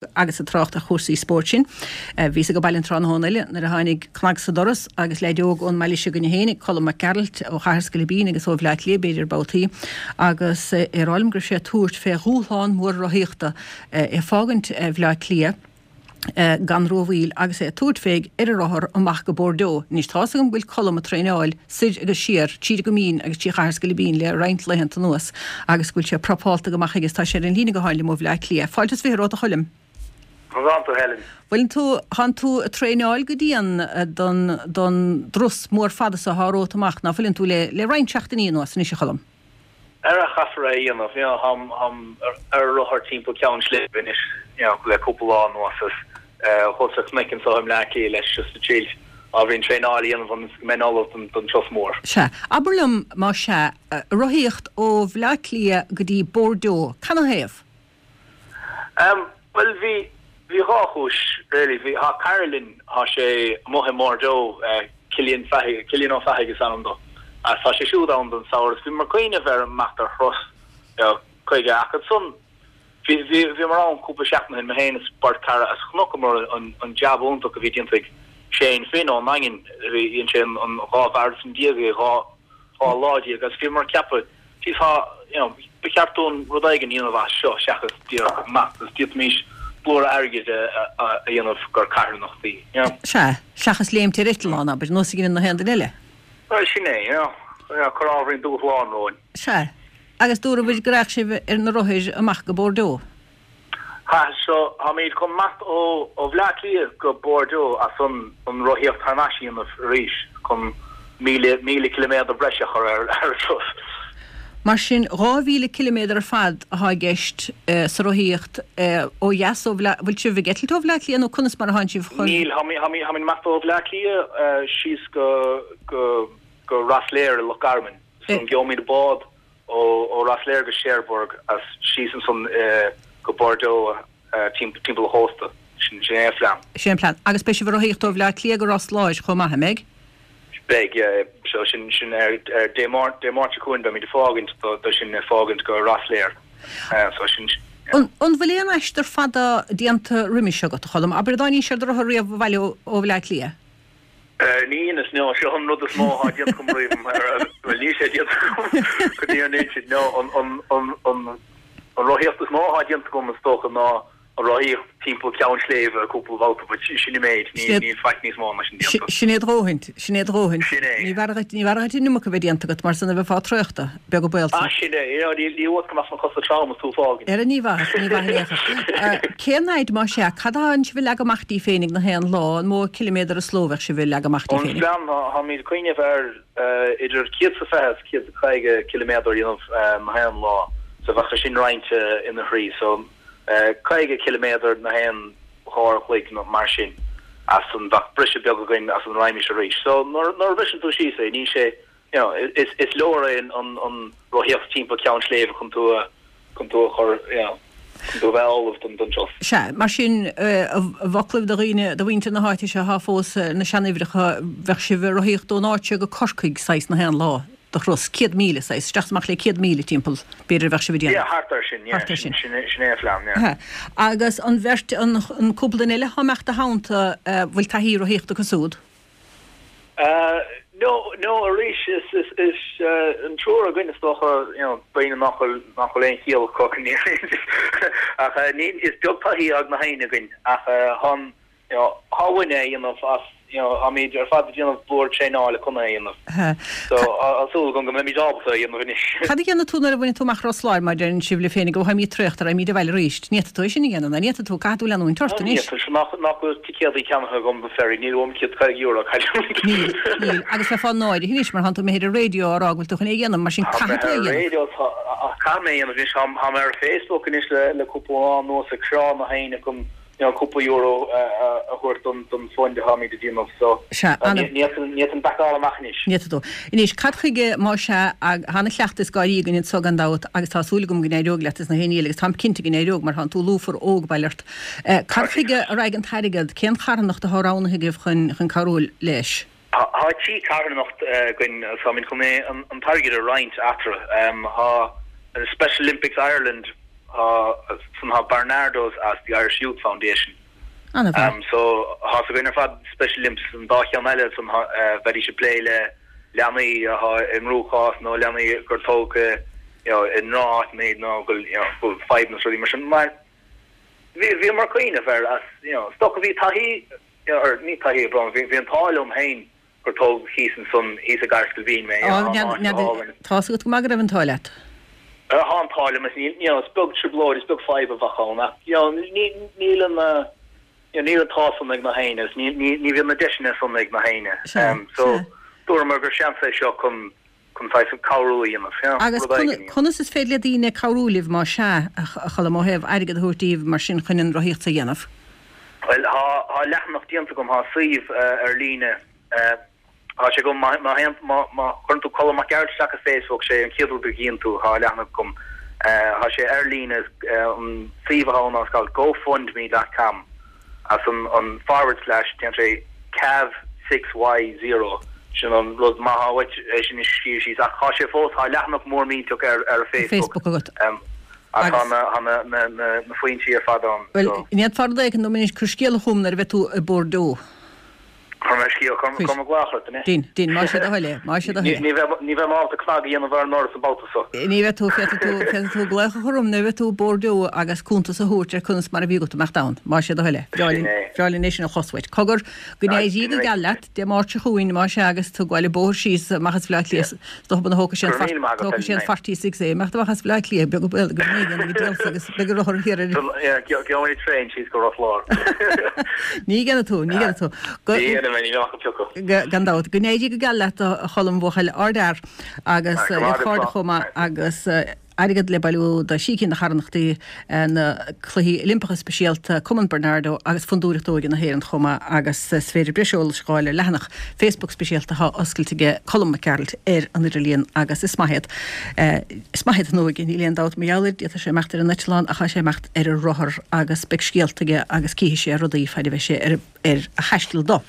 Agus ag trácht ar chúrsaí spóirt sin, bhíos ag baile an tráthnóna eile nuair a tháinig cnag sa doras agus leaid óg ón mbaile seo againne féinig, Colm Mac Gearailt ó Chathair Sceilibín agus ó Bhleá Cliath b'fhéidir babhtaí, agus é ag rá liom go raibh sé ag tabhairt fé dhúshlán mór rothaíochta, é ag fágaint Bhleá Cliath gan rómhoill agus é ag tabhairt fé ar a rothar amach go Bordeaux. Anois tá's agam go bhfuil Colm ag traenáil soir agus siar tríd an gCoimín agus trí Chathair Sceilibín le roinnt laethanta anuas agus go bhfuil sé prapálta go maith aige is tá sé ar an líne gutháin liom ó Bhleá Cliath. Fáilte is 20 romhat a Choilm. Conas tánn tú Helen? Bhfuileann tú, thánn tú ag traenáil go dian don, don dturas mór fada so athá romhat amach, ná fuileann tú, le, le roinnt seachtainí anuas anois a Choilm? Ara chaithfear é a dhéanamh, you know, tháim, tháim ar rothar timpeall Ceann Sléibhe anois, you know, le cúpla lá anuas is thuas ar chnoic anso i mBleá Cliath leis just ag triail ábhairín traenáil a dhéanamh ionas go mbeinn ullamh don, don turas mór. Sea. Abair liom, más ea, rothaíocht ó Bhleá Cliath go dtí Bordeaux, canathaobh? Em, bhuel bhí, bhí dhá chúis really. Bhí, thá cara linn, thá sé amuigh i mBordeaux, eh, Cillian Fathaigh, Cillian Ó Fathaigh is ainm dó, agus tá sé siúd ann don samhradh agus bhíomar ag cuimhneamh ar imeacht ar thuras, you know, chuige ach ansan bhí, bhí, bhíomar ann cúpla seachtain ó shin, mé féin is beirt cara agus chonaiceamar an, an jab iontach a bhí déanta ag Shane Finn ón nDaingean, bhí, dhein sé an, an 12 mharatón i 12 lá agus bhíomar ag ceapadh, Jeez thá, you know, ba cheart dúinn rud éigin a dhéanamh as seo seachas díreach imeacht agus d'fhéadfaimis blúire airgid a dhéanamh gur carthanachtaí, you know. Sea, seachas léimt ar eitleán, abair, nós a dheineann na haon duine eile. Bhuel, sin é, you know, cur ábhairín dúshlán romhainn. Sea, agus dúraibh go rachadh sibh ar na rothair amach go Bordeaux. Ha, so, táimid chun imeacht ó Bhleá Cliath go Bordeaux as san an rothaíocht thar n-ais a dhéanamh arís chun 1,000, 1,000 ciliméadar breise a chur ar an turas. Mar sin, 2,000 ciliméadar ar fad athá i gceist sa rothaíocht ó dheas ó Bhleá, bhfuil sibh ag eitilt ó Bhleá Cliath nó conas mar athánn sibh chun. Níl, táimid ag imeacht ó Bhleá Cliath síos go, go, go Ros Láir i Loch Garman. So, gheobhaimid bád ó Ros Láir go Cherbourg as síos ansan go Bordeaux timpeall an chósta. Sin é an plean. Sin é an plean. Agus beidh sibh ag rothaíocht ó Bhleá Cliath go Ros Láir chomh maith, an mbeidh? Beidh, yeah. So sin, sin ar, ar Dé Máirt, Dé Máirt seo chugainn beimid ag fágaint do, do sin ag fágaint go Ros Láir. So sin, yeah. An, an bhfuil aon aistear fada déanta roimis agat, a Cholm? Abair, an dtáinís ar do rothar riamh abhaile ó, ó Bhleá Cliath? Ní dheineas, no, seo an rud is mó athá déanta agam riamh, bhuel níl sé déanta agam go dtí an insint, no, an, an, an, an, an rothaíocht is mó athá déanta agam is dócha ná an rothaíocht timpeall Ceann Sléibhe cúpla babhta, but sin an méid, níl, níl faic níos mó ná sin déanta. Sin é do dhóthaint, sin é do dhóthaint. Sin é. Ní bhfearra dhuit, ní bhfearra dhuit an iomarca a bheith déanta agat mar san a bheifeá traochta, beag an baol san. Ah, sin é, you know, ní, ní uait go mbeadh na cosa trom is tú ag fágaint. Ara ní mhaith, ní mhaith in aon chor. Cén fhaid, más ea, cad athánn sibh a leagadh amach daoibh féinig na haon lá, an mó ciliméadar is ló a bheadh sibh a leagadh amach daoibh An féinig? plean, táimid ag cuimhneamh ar idir 120 is 150 ciliméadar a dhéanamh na haon lá, so bheadh sé sin roinnte ina thrí, so 50 ciliméadar na haon dhá uair a chloig nó mar sin, as san bheadh briseadh beag againn as san raghaimís arís. So nuair a bhriseann tú síos é, níl sé, you know, is is leor é an an rothaíocht timpeall Ceann Sléibhe chun tú a chun tú a chur, you know, chun tú a bheith ullamh don don turas. Sea, mar sin, i bhfoclaibh do dhaoine, do mhuintir na háite seo athá fós ar na seanuimhreacha, bheadh sibh ag rothaíocht ón áit seo go Corcaigh saghas na haon lá de thuras, 100,000 saghas, isteach is amach le 100,000 timpeall, b'fhéidir a bheadh sibh ag déanamh. Yeah, thart ar sin, yeah, Thart ar sin. sin sin é an phlean, yeah. Sea. Agus an bheirt, an an cúpla duine eile athá ag imeacht i do theannta, bhfuil taithí rothaíochta acu súd? No, no, arís, is, is, is an triúr againn is dócha, you know, daoine nach bhfuil, nach bhfuil aon chiall acu go ach ní, is beag taithí ag na héinne againn ach thá an, you know, thá uainn é a dhéanamh as, you know, táimid ar fad ag déanamh blúire traenála chun é a dhéanamh. So, tá súil agam go mbeimid ábalta é a dhéanamh anois. Cad a dhéanfaidh tú nuair a bhainfidh tú amach Ros Láir, má deireann sibh libh féinig, ó tháimid traochta, raghaimid abhaile arís. Ní fhéadfaidh tú é sin a dhéanamh, ná ní fhéadfaidh tú, caithfidh tú leanúint ort anois. Ní fhéadfaidh, nach, nach bhfuil ticéadaí ceannaithe agam don ferry, níl uaim €150 a chailliúint. Níl, níl. Agus bheifeá náirithe anois mar thánn tú imithe ar an raidió á rá go bhfuil tú chun é a dhéanamh, mar sin caithfidh tú é a dhéanamh. Ar an raidió, caithfidh mé é a dhéanamh anois. Táim ar Facebook anois le cúpla lá anuas ag crá na héinne chun you know cúpla euro a thabhairt don don fund atáimid ag déanamh so Sea, ní fhéadfainn backáil amach anois. Ní fhéadfaidh tú. Anois, cad chuige, más ea, tá ana-chleachtadh is gáirí againn anso gan dabht agus tá súil agam go n-éireoidh leat is na haon ní eile agus táim cinnte go n-éireoidh mar thánn tú lúfar óg, bail ort. Cad chuige a raghaidh an t-airgead? Cén charthanacht atá roghnaithe agaibh chun chun cabhrú leis? Tá trí carthanacht againn agus táimid chun é an t-airgead a roinnt eatarthu. Tá Special Olympics Ireland. Ansan tá Barnardo's as the Irish Youth Foundation. An-mhaith. So thá's againn ar fad Special Olympics an dá cheann eile ansan bheidís ag plé le leanaí atá i gcruachás nó leanaí gur tógadh you know i ndroch-áiteanna iad nó go bhfuil you know go bhfuil fadhbanna is rudaí mar sin. Mar bhí bhíomar ag cuimhneamh air as you know is dócha bhí taithí you know or ní taithí brón bhí bhí an t-ádh liom féin gur tógadh thíos ansan, thíos i gCathair Scoilbín mé, you know, tá an áit go hálainn. Tá's agat go maith go raibh an t-ádh leat. Tá an t-ádh liom, is níl, you know, is beag trioblóid, is beag fadhb a bheadh ann ach, you know, ní, níl an, you know, níl an t-ádh san ag nach éinne agus ní, ní, ní bhíonn na deiseanna san ag nach éinne. Sea, So, sea. dúramar gur seans é seo chun, chun saghas cabhrú a dhéanamh, you know, Agus rud éigin a dhéanamh. conas is féidir le daoine cabhrú libh más ea, a Choilm, ó thaobh airgead a thabhairt daoibh mar sin chun an rothaíocht a dhéanamh? Bhuel, tá, tá leathanach déanta agam, tá suíomh ar líne, tá sé agam, má, má théann, má, má chuireann tú Colm Mac Gearailt isteach ar Facebook, sé an chéad rud a gcíonn tú, tá leathanach agam, tá sé ar líne, an suíomh atá ann ná it's called gofundme dot com, as an, an forward slash, déanann sé cav 6Y0, sin an rud, má tá uait é sin a scríobh síos, ach tá sé fós, tá leathanach mór millteach ar, ar Facebook. Facebook agat. Ach tá na foinsí ar fad ann. Bhuel, an bhféadfá rud éigin dom anois, cuir scéala chugam nuair a bheidh tú i Bordeaux. Cuirfidh mé scéal, cuirfidh mé glaoch ort, anois. Dein, dein, más é do thoil é, más é do thoil é. Ní bheidh mé ábalta cnag a dhéanamh ar an ndoras an babhta so. Ní bheidh tú, féadfaidh tú, féadfaidh tú glaoch a chur orm nuair a bheidh tú i Bordeaux agus cuntas a thabhairt ar conas mar a bhí agat imeacht ann, más é do thoil é. Bhreá linn, bhreá linn é sin a chlos uait. Cogar, go n-éirí go geal leat, Dé Máirt seo chugainn, más ea, agus tú ag gabháil an bóthar síos amach as Bhaile Átha Cliath, Is dócha go dtógfaidh sé an tógfaidh sé an 46 é imeacht amach as Baile Átha Cliath, beag an baol go n-éigean go díolsa agus beidh an rothar thiar ar. Gheobhaidh mé traein síos go Ros Láir. Ní dhéanfaidh tú, ní dhéanfaidh tú. Ní dhéanfaidh mé, ní bheidh ach an piocadh. Gan dabht. Go n-éirí go geal leat a Choilm bhuachaill ardfhear agus le cairde chomh maith agus. Airgead le bailiú do thrí cinn de charthanachtaí, na Cluichí Oilimpeacha Speisialta, Cumann Barnardo agus Fondúireacht Óige na hÉireann chomh maith agus is féidir breis eolais a fháil ar leathanach Facebook speisialta atá oscailte aige Colm Mac Gearailt ar an idirlíon agus is maith iad is maith iad an óige, níl aon dabht mar gheall air, d'fhéadfadh sé imeacht ar an eitleán ach tá sé ag imeacht ar a rothar agus beidh scéalta aige agus cífidh sé rudaí faid a bheidh sé ar a thaisteal dó.